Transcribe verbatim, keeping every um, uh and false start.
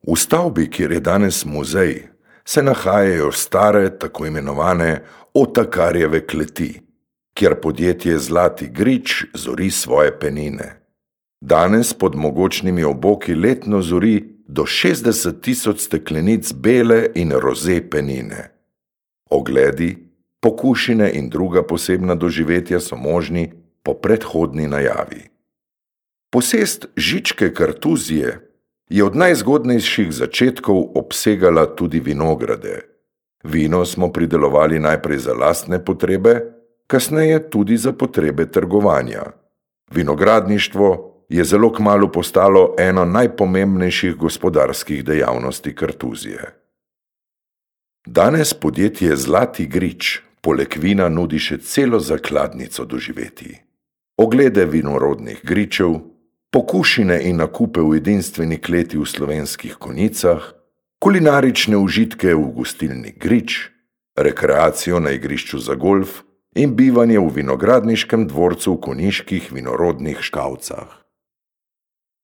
V stavbi, kjer je danes muzej, se nahajajo stare, tako imenovane otakarjeve kleti, kjer podjetje Zlati grič zori svoje penine. Danes pod mogočnimi oboki letno zori do šestdeset tisoč steklenic bele in roze penine. Ogledi, pokušine in druga posebna doživetja so možni po predhodni najavi. Posest Žičke kartuzije je od najzgodnejših začetkov obsegala tudi vinograde. Vino smo pridelovali najprej za lastne potrebe, kasneje tudi za potrebe trgovanja. Vinogradništvo je zelo kmalu postalo eno najpomembnejših gospodarskih dejavnosti Kartuzije. Danes podjetje Zlati grič poleg vina nudi še celo zakladnico doživetij. Oglede vinorodnih gričev, pokušine in nakupe v edinstveni kleti v Slovenskih Konjicah, kulinarične užitke v gostilni Grič, rekreacijo na igrišču za golf in bivanje v vinogradniškem dvorcu v konjiških vinorodnih Škavcah.